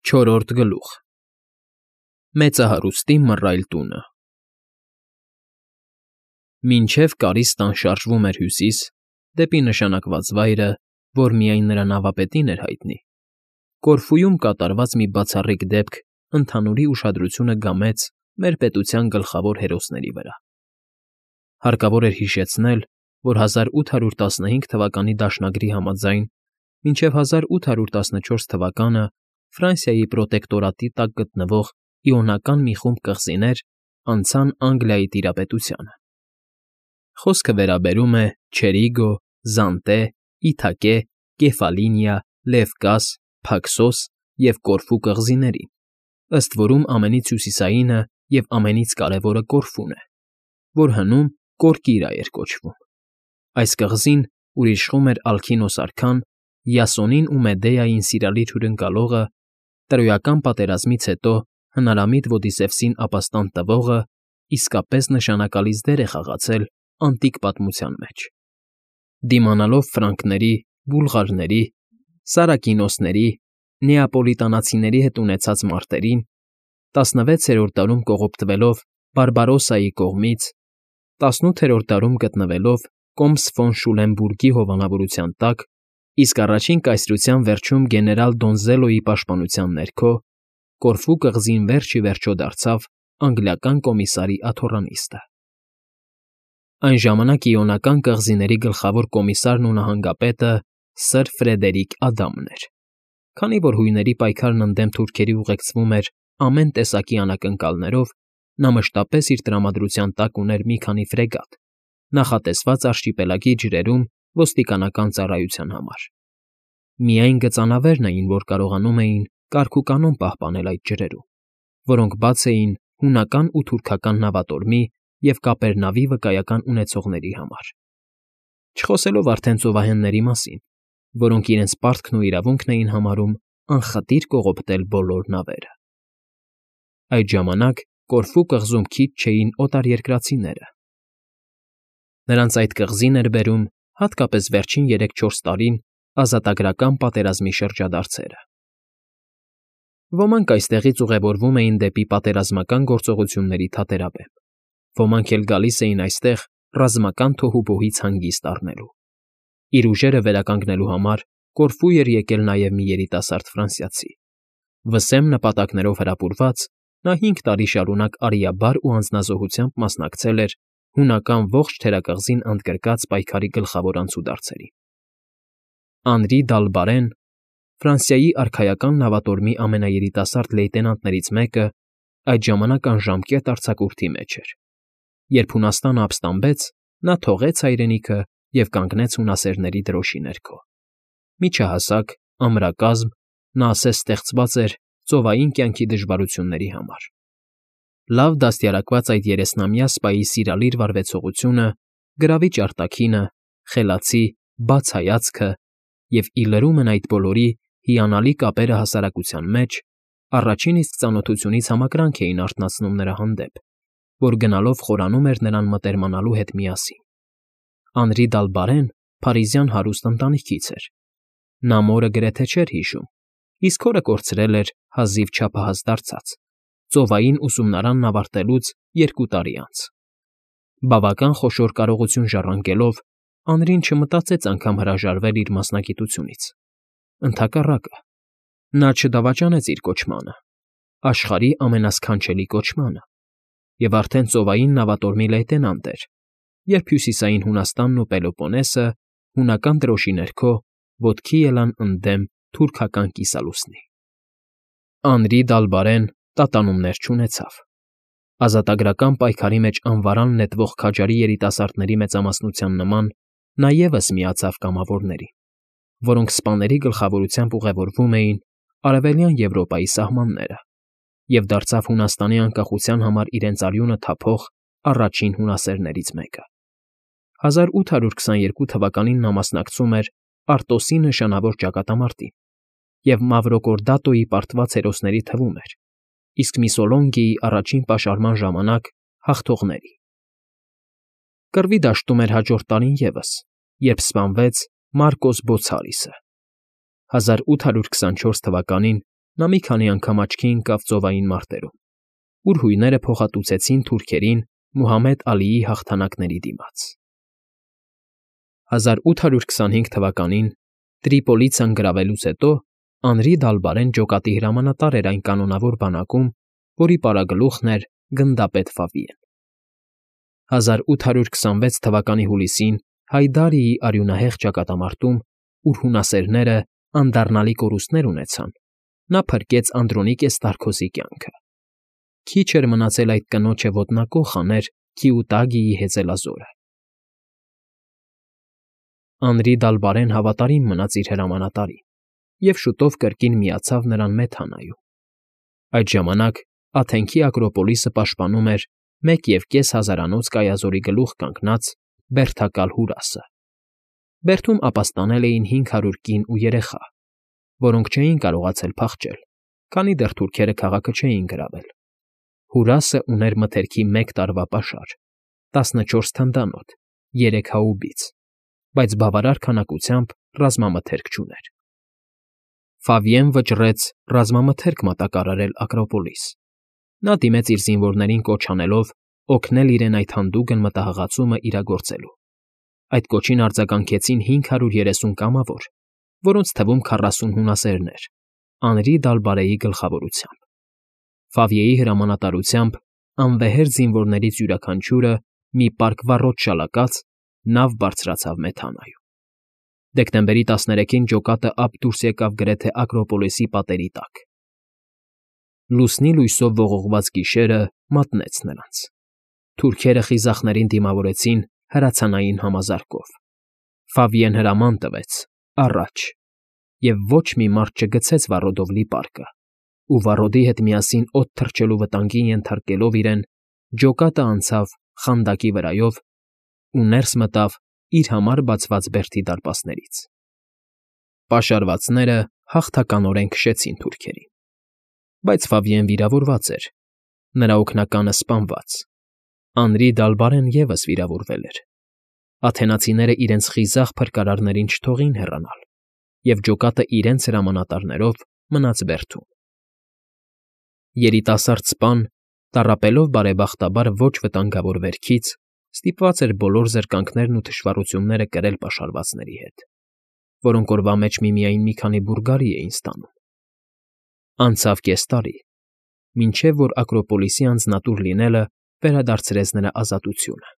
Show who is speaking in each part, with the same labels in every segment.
Speaker 1: Չորրորդ գլուխ Մեծահարուստի մռայլ տունը Մինչև կարից տան շարժվում էր հյուսիս, դեպի նշանակված վայրը, որ միայն նրա նավապետին էր հայտնի, Կորֆուում կատարված մի բացառիկ դեպք ընդհանուրի ուշադրությունը գամեց մեր պետության գլխավոր հերոսների վրա։ Հարկավոր էր հիշեցնել, որ 1815 թվականի դաշնագրի համաձայն մինչև 1814 թվականը Ֆրանսիայի պրոտեկտորատի տակ գտնվող իոնական մի խումբ կղզիներ անցան Անգլիայի տիրապետությանը։ Խոսքը վերաբերում է Չերիգո, Զանտե, Իթակե, Կեֆալինիա, Լևկաս, Փաքսոս և Կորֆու կղզիներին, ըստ որում ամենից հյուսիսայինը և ամենից կարևորը Կորֆուն է, որ հնում Կորկիրա էր կոչվում։ Այս կղզին, ուր իշխում էր Ալքինոս արքան, Յասոնին ու Մեդեային սիրալիր հյուրընկալողը, Տրոյական պատերազմից հետո հնարամիտ Ոդիսևսին ապաստան տվողը, իսկապես նշանակալից դեր է խաղացել անտիկ պատմության մեջ։ Դիմանալով ֆրանկների, բուլղարների, սարակինոսների, նեապոլիտանացիների հետ ունեցած մարտերին, 16-րդ դարում կողոպտվելով Բարբարոսայի կողմից, 18-րդ դարում գտնվելով Կոմս ֆոն Շուլենբուրգի հովանավորության տակ, իսկ առաջին կայսրության վերջում գեներալ Դոնզելոյի պաշտպանության ներքո, Կորֆու կղզին վերջ ի վերջո դարձավ անգլիական կոմիսարի աթոռանիստը։ Այն ժամանակ Իոնական կղզիների գլխավոր կոմիսարն ու նահանգապետը Սր Ֆրեդերիկ Ադամն էր, քանի որ հույների պայքարն ընդդեմ թուրքերի ուղեկցվում էր ամեն տեսակի անակնկալներով, նա մշտապես իր տրամադրության տակ ուներ մի քանի ֆրեգատ, նախատեսված արշիպելագի ջրերում ոստիկանական ծառայության համար։ Միայն գծանավերն էին, որ կարողանում էին կարգ ու կանոն պահպանել այդ ջրերում, որոնք բաց էին հունական ու թուրքական նավատորմի և կապերնավի վկայական ունեցողների համար, չխոսելով արդեն ծովահենների մասին, որոնք իրենց պարտքն ու իրավունքն էին համարում անխտիր կողոպտել բոլոր նավերը։ Այդ ժամանակ Կորֆու կղզում քիչ չէին օտարերկրացիները։ Նրանց այդ կղզին էր բերում հատկապես վերջին 3-4 տարին ազատագրական պատերազմի շրջադարձերը։ Ոմանք այստեղից ուղևորվում էին դեպի պատերազմական գործողությունների թատերաբեմ, ոմանք էլ գալիս էին այստեղ ռազմական թոհուբոհից հանգիստ առնելու։ Իր ուժերը վերականգնելու համար Կորֆու էր եկել նաև մի երիտասարդ ֆրանսիացի։ Վսեմ նպատակներով հրապուրված, նա 5 տարի շարունակ արիաբար ու անձնազոհությամբ մասնակցել էր հունական ողջ թերակղզին ընդգրկած պայքարի գլխավոր անցուդարձերին։ Անրի Դալբարեն, Ֆրանսիայի արքայական նավատորմի ամենաերիտասարդ լեյտենանտներից մեկը, այդ ժամանակ անժամկետ արձակուրդի մեջ էր։ Երբ Հունաստանը ապստամբեց, նա թողեց հայրենիքը և կանգնեց հունասերների դրոշի ներքո։ Միջահասակ, ամրակազմ, նա ասես ստեղծված էր ծովային կյանքի դժվարությունների համար։ Լավ դաստիարակված այդ երեսնամյա սպայի սիրալիր վարվեցողությունը, գրավիչ արտաքինը, խելացի, բաց հայացքը և, ի լրումն այդ բոլորի, հիանալի կապերը հասարակության մեջ, առաջին իսկ ծանոթությունից համակրանք էին արթնացնում նրա հանդեպ, որ գնալով խորանում էր նրան մտերմանալու հետ միասին։ Անրի Դալբարեն փարիզյան հարուստ ընտանիքից էր։ Նա մորը գրեթե չէր հիշում, իսկ հորը կորցրել էր հազիվ չափահաս դարձած, ծովային ուսումնարանն ավարտելուց 2 տարի անց։ Բավական խոշոր կարողություն ժառանգելով, Անրին չմտածեց անգամ հրաժարվել իր մասնագիտությունից։ Ընդհակառակը, նա չդավաճանեց իր կոչմանը, աշխարհի ամենասքանչելի կոչմանը, և արդեն ծովային նավատորմի լեյտենանտ էր, երբ Հյուսիսային Հունաստանն ու Պելոպոնեսը հունական դրոշի ներքո ոտքի ելան ընդդեմ թուրքական կիսալուսնի։ Անրի Դալբարեն տատանումներ չունեցավ։ Ազատագրական պայքարի մեջ անվարան նետվող քաջարի երիտասարդների մեծամասնության նման նա ևս միացավ կամավորներին, որոնք սպաների գլխավորությամբ ուղևորվում էին Արևելյան Եվրոպայի սահմանները, և դարձավ Հունաստանի անկախության համար իրենց արյունը թափող առաջին հունասերներից մեկը։ 1822 թվականին նա մասնակցում էր Արտոսի նշանավոր ճակատամարտին և Մավրոկորդատոյի պարտված հերոսների թվում էր, իսկ Միսոլոնգիի առաջին պաշարման ժամանակ հաղթողների։ Կռվի դաշտում էր հաջորդ տարին ևս, երբ սպանվեց Մարկոս Բոցալիսը։ 1824 թվականին Նա մի քանի անգամ աչքի ընկավ ծովային մարտերում, ուր հույները փոխհատուցեցին թուրքերին Մուհամեդ Ալիի հաղթանակների դիմաց։ 1825 թվականին Տրիպոլից ընկրավելուց հետո Անրի Դալբարեն ջոկատի հրամանատար էր այն կանոնավոր բանակում, որի պարագլուխն էր գնդապետ Ֆավիեն։ 1826 թվականի հուլիսին Հայդարիի արյունահեղ ճակատամարտում, ուր հունասերները անդառնալի կորուստներ ունեցան, նա փրկեց Անդրոնիկե Ստարքոսի կյանքը։ Քիչ էր մնացել այդ կնոջը ոտնակոխ աներ Քիուտագիի հեծելազորը։ Անրի Դալբարեն հավատարիմ մնաց իր հրամանատարին և շուտով կրկին միացավ նրան Մեթանայում։ Այդ ժամանակ Աթենքի Ակրոպոլիսը պաշտպանում էր 1,5 հազարանոց կայազորի գլուխ կանգնած բերդակալ Հուրասը։ Բերդում ապաստանել էին 500 կին ու երեխա, որոնք չէին կարողացել փախչել, քանի դեռ թուրքերը քաղաքը չէին գրավել։ Հուրասը ուներ մթերքի 1 տարվա պաշար, 14 թնդանոթ, 3 հաուբից, բայց բավարար քանակությամբ ռազմամթերք չուներ։ Ֆավիեն վճռեց ռազմամթերք մատակարարել Ակրոպոլիս։ Նա դիմեց իր զինվորներին կոչ անելով օգնել իրեն այդ հանդուգն մտահղացումը իրագործելու։ Այդ կոչին արձագանքեցին 530 կամավոր, որոնց թվում 40 հունասերներ, Անրի Դալբարեի գլխավորությամբ։ Ֆավիեի հրամանատարությամբ անվեհեր զինվորներից յուրաքանչյուրը մի պարկ վառոդ շալակած նավ բարձրացավ Մեթանայում։ Դեկտեմբերի 13-ին ջոկատը ափ դուրս եկավ գրեթե Ակրոպոլիսի պատերի տակ։ Լուսնի լույսով ողողված գիշերը մատնեց նրանց։ Թուրքերը խիզախներին դիմավորեցին հրացանային համազարկով։ Ֆավիեն հրաման տվեց առաջ, և ոչ մի մարդ չգցեց վառոդով լի պարկը, ու վառոդի հետ միասին օդ թռչելու վտանգին ենթարկելով իրեն, ջոկատը անցավ խանդակի վրայով ու ներս մտավ իր համար բացված բերդի դարպասներից։ Պաշարվածները հաղթականորեն քշեցին թուրքերին։ Բայց Ֆավիեն վիրավորված էր, նրա օգնականը սպանված։ Անրի Դալբարեն ևս վիրավորվել էր։ Աթենացիները իրենց խիզախ փրկարարներին չթողին հեռանալ, և ջոկատը իրենց հրամանատարներով մնաց բերդում։ Երիտասարդ սպան, տառապելով բարեբախտաբար ոչ վտանգավոր վերքից, ստիպված էր բոլոր զրկանքներն ու թշվառությունները կրել պաշարվածների հետ, որոնք օրվա մեջ միմիայն մի քանի բուրգարի էին ստանում։ Անցավ կես տարի, մինչև որ Ակրոպոլիսի անձնատուր լինելը վերադարձրեց նրա ազատությունը։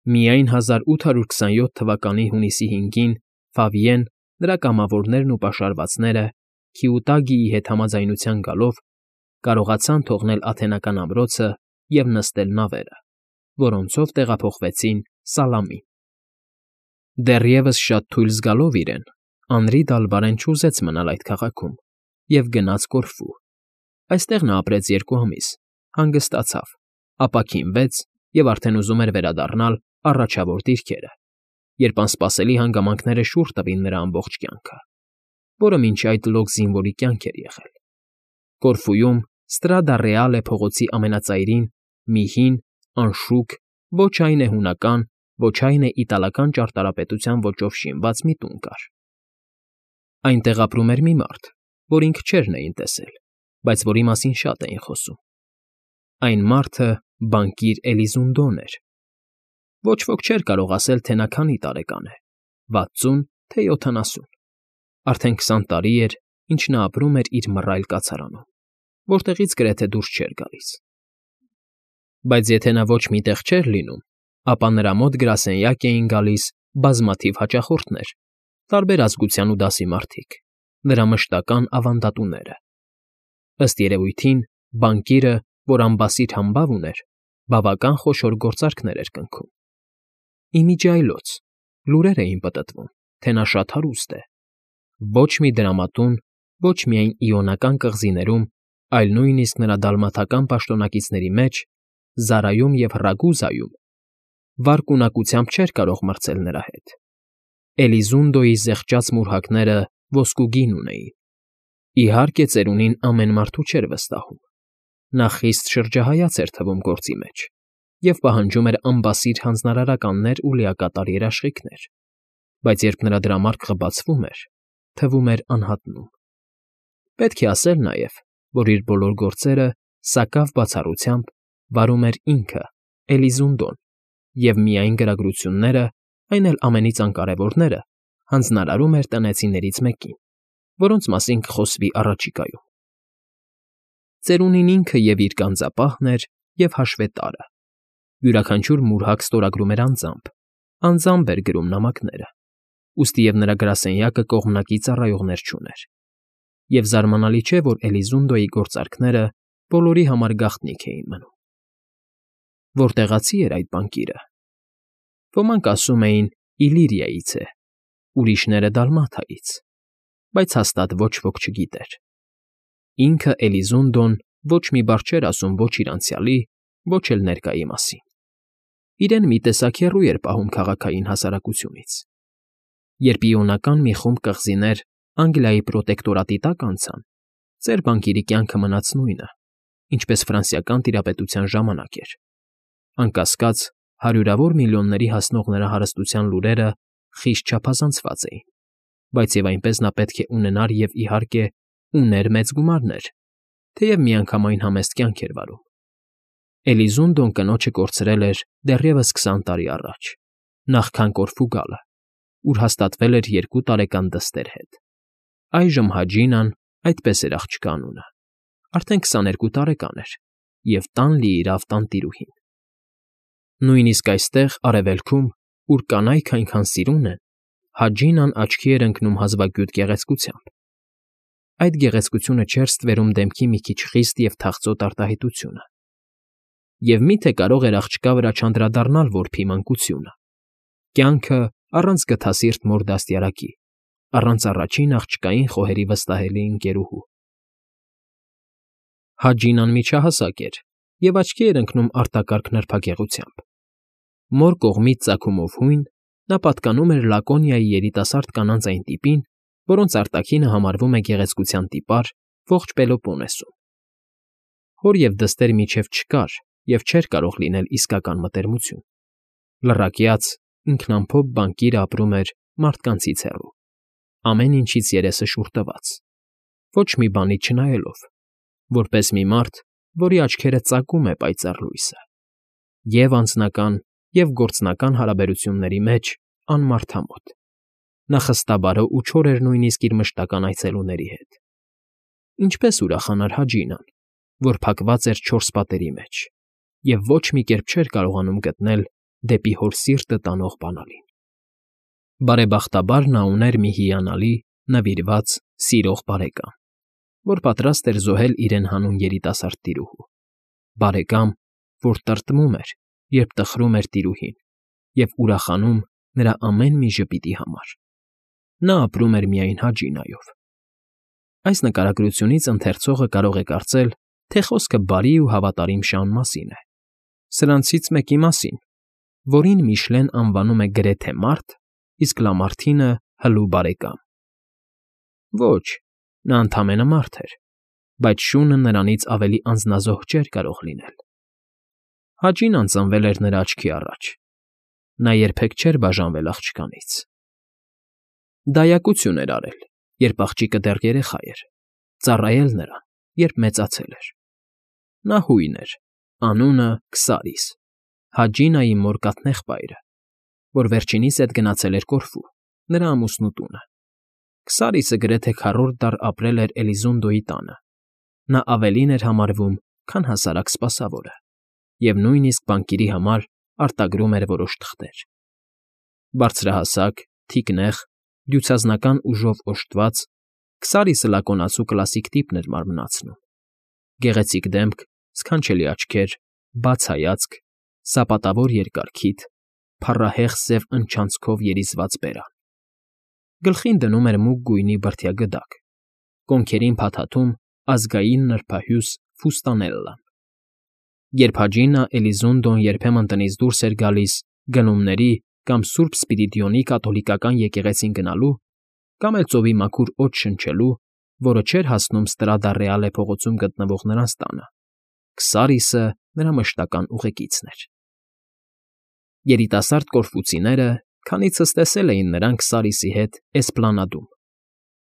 Speaker 1: Միայն 1827 թվականի հունիսի 5-ին Ֆավիեն, նրա կամավորներն ու պաշարվածները Քիուտագիի հետ համաձայնության գալով կարողացան թողնել աթենական ամրոցը և նստել նավերը, որոնցով տեղափոխվեցին Սալամին։ Դեռևս շատ թույլ զգալով իրեն, Անրի Դալբարեն չուզեց մնալ այդ քաղաքում և գնաց Կորֆու։ Այստեղ նա ապրեց 2 ամիս, հանգստացավ, ապաքինվեց և արդեն ուզում էր վերադառնալ առաջավոր դիրքերը, երբ անսպասելի հանգամանքները շուռ տվին նրա ամբողջ կյանքը, որը մինչ այդ լոկ զինվորի կյանք էր եղել։ Կորֆուում Ստրադա Ռեալե փողոցի ամենածայրին մի հին, անշուք, ոչ այն է հունական, ոչ այն է իտալական ճարտարապետության ոճով շինված մի տուն կար։ Այնտեղ ապրում էր մի մարդ, որին քչերն էին տեսել, բայց որի մասին շատ էին խոսում։ Այն մարդը բանկիր Էլիզունդոն էր։ Ոչ ոք չէր կարող ասել, թե նա քանի տարեկան է՝ 60, թե 70։ Արդեն 20 տարի էր, ինչ նա ապրում էր իր մռայլ կացարանում, որտեղից գրեթե դուրս չէր գալիս։ Բայց եթե նա ոչ մի տեղ չէր լինում, ապա նրա մոտ գրասենյակ էին գալիս բազմաթիվ հաճախորդներ, տարբեր ազգության ու դասի մարդիկ, նրա մշտական ավանդատուները։ Ըստ երևույթին, բանկիրը, որ ամբասիր համբավ ուներ, բավական խոշոր գործարքներ էր կնքում։ Իմիջիայլոց լուրեր էին պտտվում, թե նա շատ հարուստ է։ Ոչ մի դրամատուն, ոչ միայն Իոնական կղզիներում, այլ նույնիսկ նրա դալմաթական պաշտոնակիցների մեջ, Զարայում և Ռագուզայում, վարկունակությամբ չէր կարող մրցել նրա հետ։ Էլիզունդոյի զեղչած մուրհակները ոսկուգին ունեին։ Իհարկե, ծերունին ամեն մարդու չէր վստահում։ Նա խիստ շրջահայաց էր թվում գործի մեջ և պահանջում էր անբասիր հանձնարարականներ ու լիակատար երաշխիքներ, բայց երբ նրա դրամարկղը բացվում էր, թվում էր անհատնում։ Պետք է ասել նաև, որ իր բոլոր գործերը սակավ բացառությամբ վարում էր ինքը, Էլիզունդոն, և միայն գրագրությունները, այն էլ ամենից անկարևորները, հանձնարարում էր տնեցիներից մեկին, որոնց մասին կխոսվի առաջիկայում։ Ծերունին ինքը և իր գանձապահն էր և հաշվետարը. յուրաքանչյուր մուրհակ ստորագրում էր անձամբ էր գրում նամակները, ուստի և նրա գրասենյակը կողմնակի ծառայողներ չուներ։ Եվ զարմանալի չէ, որ Էլիզունդոյի գործարքները բոլորի համար գաղտնիք էին մնում։ Որտեղացի էր այդ բանկիրը։ Ոմանք ասում էին Իլիրիայից է, ուրիշները՝ Դալմաթայից, բայց հաստատ ոչ ոք չգիտեր։ Ինքը Էլիզունդոն ոչ մի բառ չէր ասում ոչ իր անցյալի, ոչ էլ ներկայի մասին։ Իրեն մի տեսակ հեռու էր պահում քաղաքային հասարակությունից։ Երբ իոնական մի խումբ կղզիներ Անգլիայի պրոտեկտորատի տակ անցան, ծեր բանկիրի կյանքը մնաց նույնը, ինչպես ֆրանսիական տիրապետության ժամանակ էր։ Անկասկած, հարյուրավոր միլիոնների հասնող նրա հարստության լուրերը խիստ չափազանցված էին, բայց և այնպես նա պետք է ունենար և, իհարկե, ուներ մեծ գումարներ, թեև միանգամայն համեստ կյանք էր վարում։ Էլիզունդոն կնոջը կորցրել էր դեռևս 20 տարի առաջ, նախքան Կորֆու գալը, ուր հաստատվել էր 2 տարեկան դստեր հետ։ Այժմ Հաջինան, այդպես էր աղջկա անունը, արդեն 22 տարեկան էր և տան լիիրավ տանտիրուհին։ Նույնիսկ այստեղ, արևելքում, ուր կանայք այնքան սիրուն են, Հաջինան աչքի էր ընկնում հազվագյուտ գեղեցկությամբ։ Այդ գեղեցկությունը չէր ստվերում դեմքի մի քիչ խիստ և թախծոտ արտահայտությունը։ Եվ մի՞թե կարող էր աղջկա վրա չանդրադառնալ որբի մանկությունը, կյանքը առանց գթասիրտ մոր դաստիարակի, առանց առաջին աղջկային խոհերի վստահելի ընկերուհու։ Հաջինան միջահասակ էր և աչքի էր ընկնում արտակարգ նրբագեղությամբ։ Մոր կողմից ծագումով հույն, նա պատկանում էր Լակոնիայի երիտասարդ կանանց այն տիպին, որոնց արտաքինը համարվում է գեղեցկության տիպար ողջ Պելոպոնեսում։ Հոր և դստեր միջև չկար և չէր կարող լինել իսկական մտերմություն։ Լռակյաց, ինքնամփոփ բանկիրը ապրում էր մարդկանցից հեռու, ամեն ինչից երեսը շուռ տված, ոչ մի բանից չնայելով, որպես մի մարդ, որի աչքերը ծակում է պայծառ լույսը, և՛ անձնական, և՛ գործնական հարաբերությունների մեջ անմարդամոտ։ Նա խստաբարո ու չոր էր նույնիսկ իր մշտական այցելուների հետ։ Ինչպես ուրախանար Հաջինան, որ փակված էր 4 պատերի մեջ և ոչ մի կերպ չէր կարողանում գտնել դեպի հոր սիրտը տանող բանալին։ Բարեբախտաբար նա ուներ մի հիանալի, նվիրված, սիրող բարեկամ, որ պատրաստ էր զոհել իրեն հանուն երիտասարդ տիրուհու, բարեկամ, որ տրտմում էր, երբ տխրում էր տիրուհին, և ուրախանում նրա ամեն մի ժպիտի համար։ Նա ապրում էր միայն Հաջինայով։ Այս նկարագրությունից ընթերցողը կարող է կարծել, թե խոսքը բարի ու հավատարիմ շան մասին է, սրանցից մեկի մասին, որին Միշլեն անվանում է գրեթե մարդ, իսկ Լամարթինը՝ հլու բարեկամ։ Ոչ, նա ընդամենը մարդ էր, բայց շունը նրանից ավելի անձնազոհ չէր կարող լինել։ Հաջինան ծնվել էր նրա աչքի առաջ։ Նա երբեք չէր բաժանվել աղջկանից։ Դայակություն էր արել, երբ աղջիկը դեռ երեխա էր, ծառայել նրան, երբ մեծացել էր։ Նա հույն էր, անունը՝ Քսարիս, Հաջինայի մոր կաթնեղբայրը, որ վերջինիս հետ գնացել էր Կորֆու, նրա ամուսնու տունը։ Քսարիսը գրեթե քառորդ դար ապրել էր Էլիզունդոյի տանը։ Նա ավելին էր համարվում, քան հասարակ սպասավորը, և նույնիսկ բանկիրի համար արտագրում էր որոշ թղթեր։ Բարձրահասակ, թիկնեղ, դյուցազնական ուժով օժտված, Քսարիսը լակոնացու կլասիկ տիպն էր մարմնացնում. գեղեցիկ դեմք, սքանչելի աչքեր, բաց հայացք, սապատավոր երկար քիթ, փառահեղ սև ընչանցքով երիզված բերան։ Գլխին դնում էր մուգ գույնի բրդյա գդակ, կոնքերին փաթաթում ազգային նրբահյուս ֆուստանելլան։ Երբ Հաջինա Էլիզունդոն երբեմն տնից դուրս էր գալիս գնումների կամ Սուրբ Սպիրիդոնի կաթոլիկական եկեղեցին գնալու, կամ էլ ծովի մաքուր օդ շնչելու, որը չէր հասնում Ստրադա Ռեալե փողոցում գտնվող նրանց տանը, Քսարիսը նրա մշտական ուղեկիցն էր։ Երիտասարդ կորֆուցիները քանիցս տեսել էին նրան Քսարիսի հետ Էսպլանադում,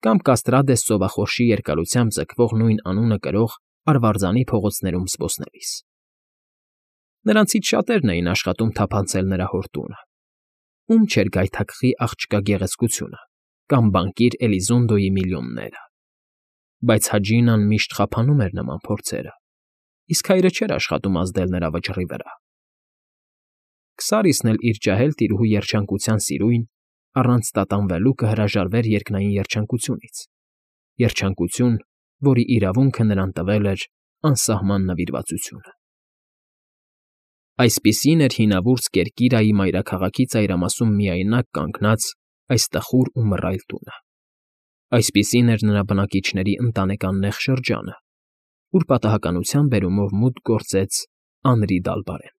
Speaker 1: կամ Կաստրադես ծովախորշի երկարությամբ ձգվող նույն անունը կրող արվարձանի փողոցներում զբոսնելիս։ Նրանցից շատերն էին աշխատում թափանցել նրա հոր տունը. ում չէր գայթակղի աղջկա գեղեցկությունը կամ բանկիր Էլիզոնդոյի միլիոնները։ Բայց Հաջինան միշտ խափանում էր նման փորձերը, իսկ հայրը չէր աշխատում ազդել նրա վճռի վրա։ Քսարիսն էլ իր ջահել տիրուհու երջանկության սիրույն առանց տատանվելու կհրաժարվեր երկնային երջանկությունից, երջանկություն, որի իրավունքը նրան տվել էր անսահման նվիրվածությունը։ Այսպիսին էր հինավուրց Կերկիրայի մայրաքաղաքի ծայրամասում միայնակ կանգնած այս տխուր ու մռայլ տունը։ Այսպիսին էր նրա բնակիչների ընտանեկան նեղ շրջանը, ուր պատահականության բերումով մուտք գործեց Անրի Դալբարեն։